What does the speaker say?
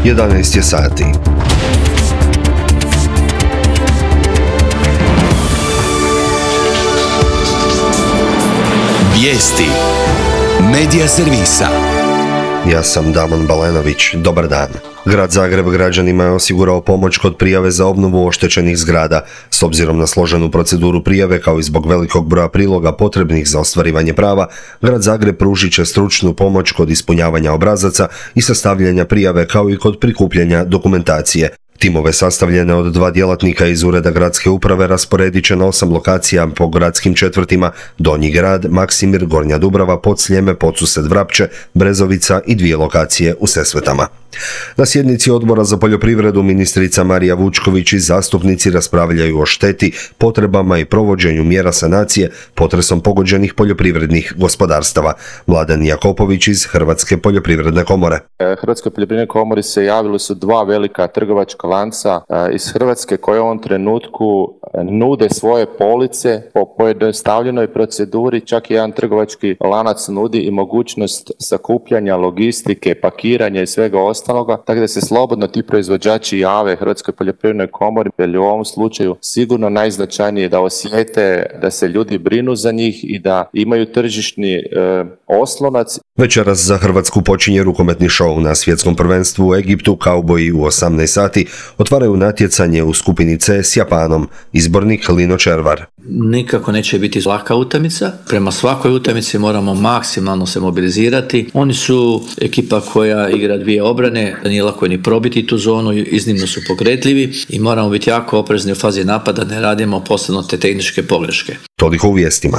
11 je sati. Vijesti Medija servisa. Ja sam Damon Balenović. Dobar dan. Grad Zagreb građanima je osigurao pomoć kod prijave za obnovu oštećenih zgrada. S obzirom na složenu proceduru prijave kao i zbog velikog broja priloga potrebnih za ostvarivanje prava, Grad Zagreb pružit će stručnu pomoć kod ispunjavanja obrazaca i sastavljanja prijave kao i kod prikupljanja dokumentacije. Timove sastavljene od 2 djelatnika iz Ureda gradske uprave rasporedit će na 8 lokacija po gradskim četvrtima: Donji grad, Maksimir, Gornja Dubrava, Podsljeme, Podsused, Vrapče, Brezovica i 2 lokacije u Sesvetama. Na sjednici Odbora za poljoprivredu ministrica Marija Vučković i zastupnici raspravljaju o šteti, potrebama i provođenju mjera sanacije potresom pogođenih poljoprivrednih gospodarstava. Mladen Jakopović iz Hrvatske poljoprivredne komore. Hrvatskoj poljoprivrednoj komori se javili su 2 velika trgovačka lanca iz Hrvatske koje u ovom trenutku nude svoje police po pojednostavljenoj proceduri. Čak i jedan trgovački lanac nudi i mogućnost sakupljanja, logistike, pakiranja i svega ostaloga, tako da se slobodno ti proizvođači jave Hrvatskoj poljoprivrednoj komori, jer u ovom slučaju sigurno najznačajnije da osjete da se ljudi brinu za njih i da imaju tržišni oslonac. Večeras za Hrvatsku počinje rukometni šou. Na svjetskom prvenstvu u Egiptu kauboji u 18 sati otvaraju natjecanje u skupini C s Japanom. Izbornik Lino Červar. Nikako neće biti laka utakmica. Prema svakoj utakmici moramo maksimalno se mobilizirati. Oni su ekipa koja igra 2 obrane, nije lako ni probiti tu zonu, iznimno su pokretljivi i moramo biti jako oprezni u fazi napada, ne radimo posebno te tehničke pogreške. Toliko u vijestima.